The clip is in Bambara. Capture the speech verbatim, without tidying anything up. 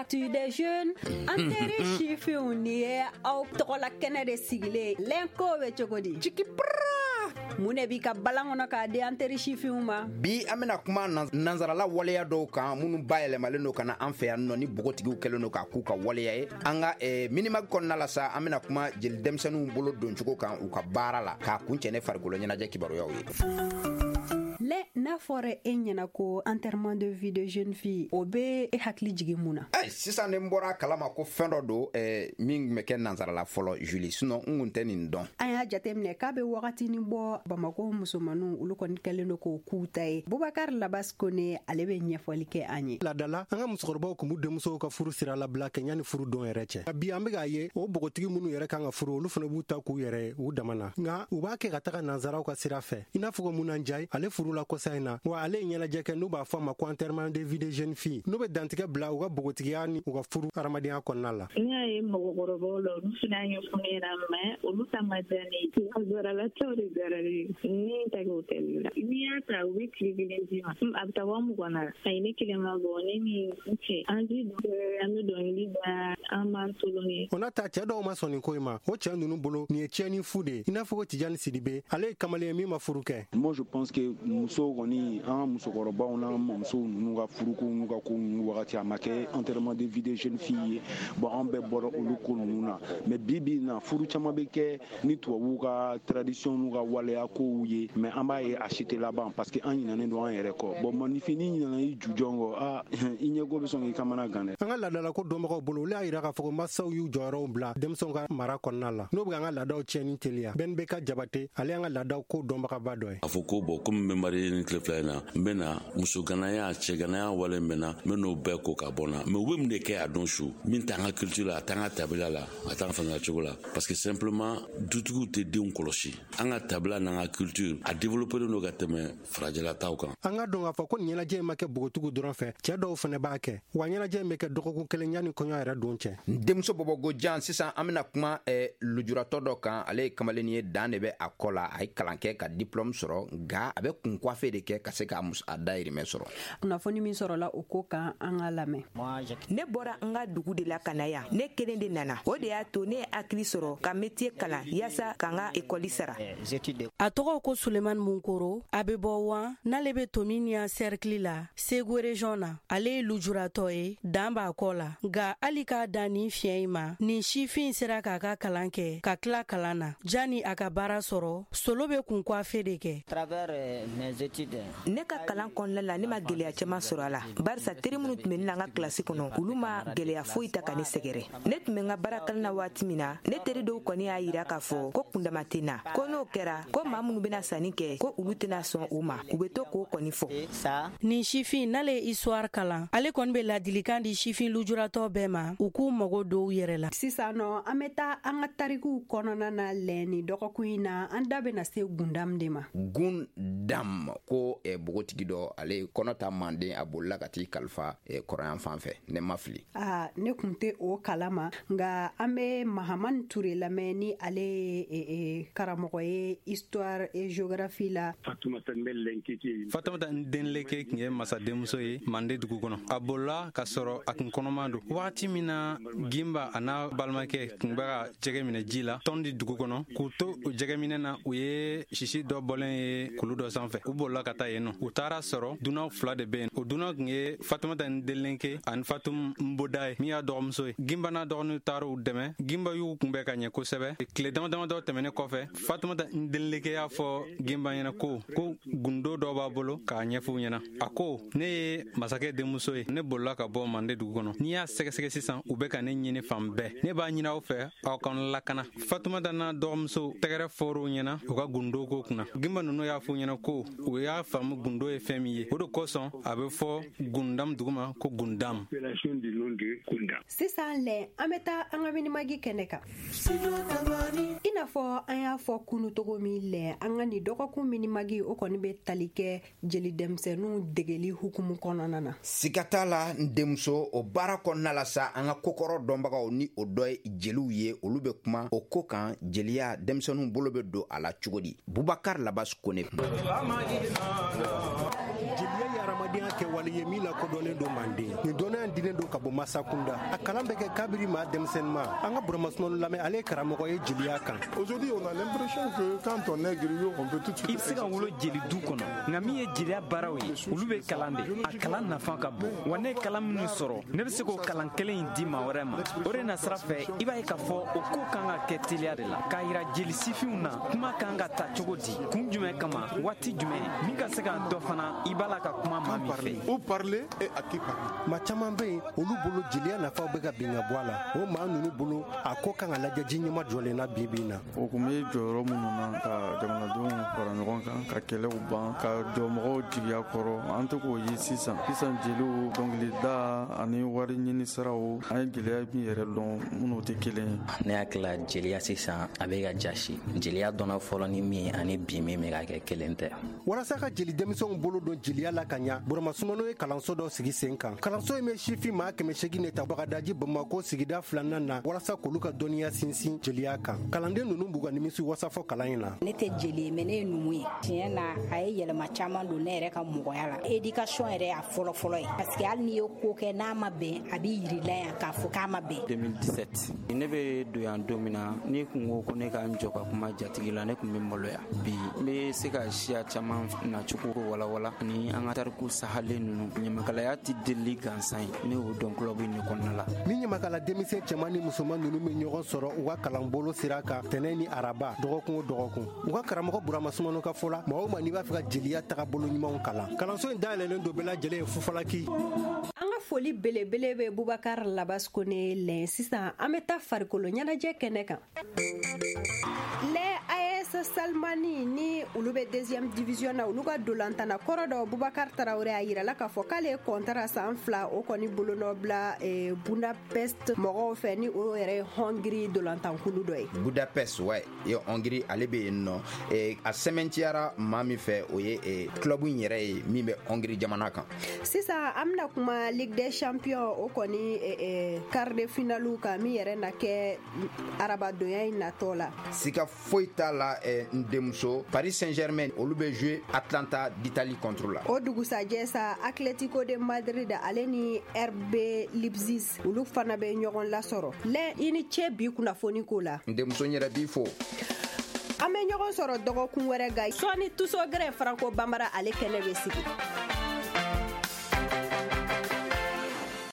L'actu des jeunes. An teri sifinw, ni ye aw tɔgɔla kɛnɛ de sigilen. Lɛnko bɛ cogo di? Jigi pra. Mun de b'i ka balan kɔnɔ k'a di an teri sifinw ma? Bi, an bɛna kuma nansarala waleya dɔw kan minnu bayɛlɛmalen don ka na an fɛ yan nɔ, ni npogotigiw kɛlen don k'a k'u ka waleya ye. An ka eh, Minimag kɔnɔna la sa, an bɛna kuma jeli denmisɛnninw bolo doncogo kan u ka baara la, k'a kun cɛ ne farikolo ɲɛnajɛ kibaruyaw ye. Lɛ, n'a fɔra e ɲɛna ko enterrement de vie de jeune fille, o bɛ e hakili jigin mun na? Ay, sisan ne bɔra a kalama ko fɛn dɔ don eh, min tun bɛ kɛ nansarala fɔlɔ, Julie. Sinon n kun tɛ nin dɔn. An y'a jateminɛ k'a bɛ wagatinin bɔ, Bamako musomaninw, olu kɔni kɛlen don k'o k'u ta ye. Bubakar Labas Kone, ale bɛ ɲɛfɔli kɛ an ye. Ladala, an ka musokɔrɔbaw kun b'u denmusow ka furu sira labila kɛ ɲani furu don yɛrɛ cɛ. Bi, an be k'a ye, o bogotigi minnu yɛrɛ kan ka furu, olu fana b'u ta k'u yɛrɛ ye u dama na, nka u b'a kɛ ka taga nansaraw ka sira fɛ. I n'a fɔ ko Muna Njayi, ale furula kɔsa in na wa, ale ye ɲɛnajɛ kɛ n'u b'a fɔ a ma ko enterrement de vie de jeune fille, n'u bɛ dantigɛ bila u ka bogotigiya ni u ka furu hadamadenya kɔnɔna la. Ne y'a ye mɔgɔkɔrɔbaw la, olu fana y'a ɲɛfɔ ne ɲɛna, mais olu ta ma diya ne ye. Nanzaralataw de diyara ne ye. Ne ye ta kɛ hôtel la. N'i y'a ta, u bɛ tile kelen d'i ma, a bɛ taa wa mugan na. Ayi, ne kelen ma bɔ, ne ni n cɛ, an ti an bɛ dɔnkili da, an b'an tolon. O n'a ta, cɛɛ dɔw ma sɔn nin ko in ma. O cɛɛ nunu bolo, nin ye tiɲɛni fu de ye. I n'a fɔ ko Tijani Sidibe, ale ye kamalen ye min ma furu kɛ. Moi, je pense que musow kɔni, an ka musokɔrɔbaw n'an mamusow ninnu ka furuko n'u ka ko ninnu wagati, a ma kɛ enterrement de vie de jeune fille ye. Bon, an bɛɛ bɔra olu ko ninnu na. Mais bi bi in na, furu caman bɛ kɛ ni tubabuw ka tradition n'u ka waleya kow ye, mais an b'a ye a si tɛ laban, parce que an ɲinɛnen don an yɛrɛ kɔ. Bon, maninfin, n'i ɲinɛna i jujɔn kɔ, aa, i ɲɛko bɛ sɔn k'i kamana gan dɛ. An ka laadalako dɔnbagaw bolo, olu y'a yira k'a fɔ ko masaw y'u jɔyɔrɔw bila denmisɛnw ka mara kɔnɔna la, n'o bɛ an ka laadaw tiɲɛni teliya. Bɛn bɛ ka Jabate, ale y'an ka laadaw ko dɔnbagaba dɔ ye. A fɔ ko bɔn, komi n bɛ marié ni tile fila in na, n bɛ na musoganaya, cɛganaya wale n bɛ na, n bɛ n'o bɛɛ ko ka bɔ n na. Mais u bɛ mun de kɛ a don su min t'an ka culture la, a t'an ka tabila la, a t'an faamuya cogo la? Parce que simplement, dutigiw tɛ denw kɔlɔsi. An ka tabila n'an ka culture, a développé don ka tɛmɛ farajɛla taw kan. An ka dɔn k'a fɔ ko nin ɲɛnajɛ in ma kɛ bogotigiw dɔrɔn fɛ, cɛɛ dɔw fana b'a kɛ wa. Ɲɛnajɛ in bɛ kɛ dɔgɔkun kelen yanni kɔɲɔ yɛrɛ don cɛ. N denmuso bɔbɔgo jan, sisan an bɛna kuma eh, lujuratɔ dɔ kan. Ale ye kamalennin ye, dan de bɛ a kɔ la. A ye kalan kɛ ka diplôme sɔrɔ, nka a bɛ kun coiffe de kɛ ka se k'a a dayirimɛ sɔrɔ. Kunnafoni min sɔrɔla o ko kan, an ka lamɛn. Ne bɔra n ka dugu de la ka na yan. Ne kelen de nana, o de y'a to ne ye hakili sɔrɔ ka métier kalan yaasa ka n ka ekɔli sara. A tɔgɔ ko Suleman Munkoro, a be bɔ Wan, n'ale be Tominian cercle la, Segu région na. Ale ye lujuratɔ ye, dan b'a kɔ la, nka hali k'a dan nin fiɲɛ in ma, nin sifin sera k'a ka kalan kɛ ka tila kalan na. Jani a ka baara sɔrɔ, Solo be kun coiffe de kɛ. Ne ka kalan kɔnɔna la, ne ma gwɛlɛya caaman sɔrɔ a la, barisa teri minnu tun bɛ ne la n ka kilasi kɔnɔ, olu ma gwɛlɛya foyi ta ka ne sɛgɛrɛ. Ne tun bɛ n ka baara kalan na waati min na, ne teri dɔw kɔni y'a yira k'a fɔ ko kundama tɛ na, ko n'o kɛra, ko maa minnu bɛna sanni kɛ, ko olu tɛna sɔn u ma. U bɛ to k'o kɔni fɔ. Nin sifin n'ale ye histoire kalan, ale kɔni be ladilikan di sifin lujuratɔ bɛɛ ma, u k'u mago dɔw yɛrɛ la. Sisan nɔ, an bɛ taa an ka tarikuw kɔnɔna na. Lɛ, ni dɔgɔkun in na, an da bɛna se Gundam de ma. Gundam ko eh, bogotigi dɔ, ale kɔnɔ ta manden, a bolila ka t'i kalifa eh, kɔrɔyan fan fɛ, ne ma fili. Aa, ne kun tɛ o kalama, nka an bɛ Mahamani Ture lamɛn, ni ale ye e, e, karamɔgɔ ye histoire et géographie la. Fatumata Ndenleke tun ye masadenmuso ye Mande dugu kɔnɔ. A bolila ka sɔrɔ a kun kɔnɔman don. Wagati min na Gimba a n'a balimakɛ tun bɛ ka jɛgɛ minɛ ji la Tɔndi dugu kɔnɔ, k'u to o jɛgɛminɛ na, u ye sisi dɔ bɔlen ye kulu dɔ sanfɛ. U bolila ka taa yen nɔ. U taara sɔrɔ dunan fila de bɛ yen. O dunan tun ye Fatumata Ndenleke ani Fatum Nboda ye, min y'a dɔgɔmuso ye. Gimba n'a dɔgɔninw taara u dɛmɛ. Gimba y'u kunbɛn ka ɲɛ kosɛbɛ. Tile dama damadɔ tɛmɛnen kɔfɛ, Fatumata Ndenleke y'a fɔ Gimba ɲɛna ko ko gundo dɔ b'a bolo k'a ɲɛfɔ u ɲɛna. A ko: "Ne ye masakɛ denmuso ye, ne bolila ka bɔ Mande dugu kɔnɔ. N'i y'a sɛgɛsɛgɛ sisan, u bɛ ka ne ɲini fan bɛɛ. Ne b'a ɲini aw fɛ, aw ka n lakana." Fatumata n'a dɔgɔmuso tɛgɛrɛ fɔr'u ɲɛna u ka gundo ko kunna. Gimba nunu y'a fɔ u ɲɛna ko u y'a faamu gundo ye fɛn min ye. O de kosɔn a bɛ fɔ Gundam dugu ma ko Gundam. Sisan lɛ, an bɛ taa an ka Minimag kɛnɛ kan. I n'a fɔ an y'a fɔ kunu togo min, lɛ, an ka nin dɔgɔkun Minimag, o kɔni bɛ tali kɛ jeli denmisɛnninw degeli hukumu kɔnɔna na. Siga t'a la, n denmuso. O baara kɔnɔna la sa, an ka kokɔrɔ dɔnbagaw, ni o dɔ ye jeliw ye, olu bɛ kuma o ko kan, jeliya, denmisɛnninw bolo bɛ don a la cogo di. Bubakar Labas Kone. Jeliya ye hadamadenya. adamadenya kɛwale ye min lakodɔnnen don Manden. Nin dɔnniya in dilen don ka bɔ masa kunda. A kalan bɛ kɛ kabiri maa denmisɛnnin ma. An ka Burama Sumano lamɛn, ale ye karamɔgɔ ye jeliya kan. Aujourd'hui, on a l'impression que quand on est griot, on peut tout de suite. I bɛ se ka wolo jeli du kɔnɔ, nka min ye jeliya baaraw ye, olu bɛ kalan de. A kalan nafa ka bon. Wa ne ye kalan minnu sɔrɔ, ne bɛ se k'o kalan kelen in di maa wɛrɛ ma. O de nasira fɛ, i b'a ye k'a fɔ o ko kan ka kɛ teliya de la, k'a yira jeli sifinw na kuma kan ka ta cogo di, kun jumɛn kama, waati jumɛn, min ka se ka dɔ fana i b'a la ka kuma maa min fɛ. Où parler et à qui parler. Maa caman bɛ yen, olu bolo jeliya nafaw bɛ ka bin ka bɔ a la. O maa ninnu bolo, a ko kan ka lajɛ ji ɲɛma jɔlen na bi bi in na. O kun bɛ jɔyɔrɔ minnu na ka jamanadenw fara ɲɔgɔn kan, ka kɛlɛw ban, ka jɔ mɔgɔw jigiya kɔrɔ, an tɛ k'o ye sisan. Sisan jeliw, dɔnkilida ani wari ɲini siraw, an ye gɛlɛya min yɛrɛ dɔn minnu tɛ kelen ye. Ne hakili la jeliya sisan a bɛ ka jasi. Jeliya dɔnna fɔlɔ ni min ani bi min bɛ ka kɛ kelen tɛ. Walasa ka jeli denmisɛnw bolo don jeliya la ka ɲa, Burama Sumano ye kalanso dɔ sigi sen kan. Kalanso in bɛ sifin maa kɛmɛ seegin de ta Bagadaji Bamakɔ sigida filanan na, walasa k'olu ka dɔnniya sinsin jeliya kan. Kalanden ninnu b'u ka nimisi wasa fɔ kalan in na. Ne tɛ jeli ye, mais ne ye numu ye. Tiɲɛ na, a ye yɛlɛma caman don ne yɛrɛ ka mɔgɔya la. Éducation yɛrɛ y'a fɔlɔ-fɔlɔ ye, parce que hali n'i ye ko kɛ n'a ma bɛn, a b'i yir'i la yan k'a fɔ k'a ma bɛn. deux mille dix-sept ne bɛ don yan don min na, n'i kun ko ko ne ka n jɔ ka kuma jatigi la, ne kun bɛ maloya. Bi n bɛ se ka siya caman nacogo walawala ni an ka tariku sahalen ninnu. Ɲamakalaya tɛ delili gansan ye, ne y'o dɔn club in de kɔnɔna la. Ni ɲamakala denmisɛn cɛman ni musoman ninnu bɛ ɲɔgɔn sɔrɔ u ka kalanbolo sira kan tɛnɛn ni araba, dɔgɔkun o dɔgɔkun. U ka karamɔgɔ Burama Sumano ka fɔ la, maa o maa n'i b'a fɛ ka jeliya tagabolo ɲumanw kalan, kalanso in dayɛlɛlen don bɛɛ lajɛlen ye fufalaki. An ka foli belebele bɛ Bubakar Labas Kone lɛn. Sisan an bɛ taa farikolo ɲɛnajɛ kɛnɛ kan. Lɛ A S Salmani ni olu bɛ deuxième division na, olu ka dolantana kɔrɔ dɔ Bubakar Tarawele a yirala k'a fɔ k'ale ye kɔntara san fila o kɔni bolonɔ bila eh, Budapest mɔgɔw fɛ, ni o yɛrɛ ye Hongrie dolantankulu dɔ ye. Budapest, ouais, ye Hongrie, ale bɛ yen nɔ. Eh, a sɛmɛntiyara maa min fɛ, o ye eh, club in yɛrɛ ye min bɛ Hongrie jamana kan. Sisan an bɛna kuma Ligue des Champions o kɔni eh, eh, quart de finale kan, min yɛrɛ na kɛ arabadonya in natɔ la. Sika foyi t'a la, eh, n denmuso, Paris Saint-Germain olu bɛ jouer Atlanta d'Italie contre la. O dugusajɛ sa, Atletico de Madrid ale ni R B Leipzig olu fana bɛ ɲɔgɔn lasɔrɔ. Lɛ, i ni ce bi kunnafoni ko la. N denmuso, n yɛrɛ b'i fo. An bɛ ɲɔgɔn sɔrɔ dɔgɔkun wɛrɛ ga sɔɔni Tusogɛrɛ Franco Bambara ale kɛnɛ bɛ sigi.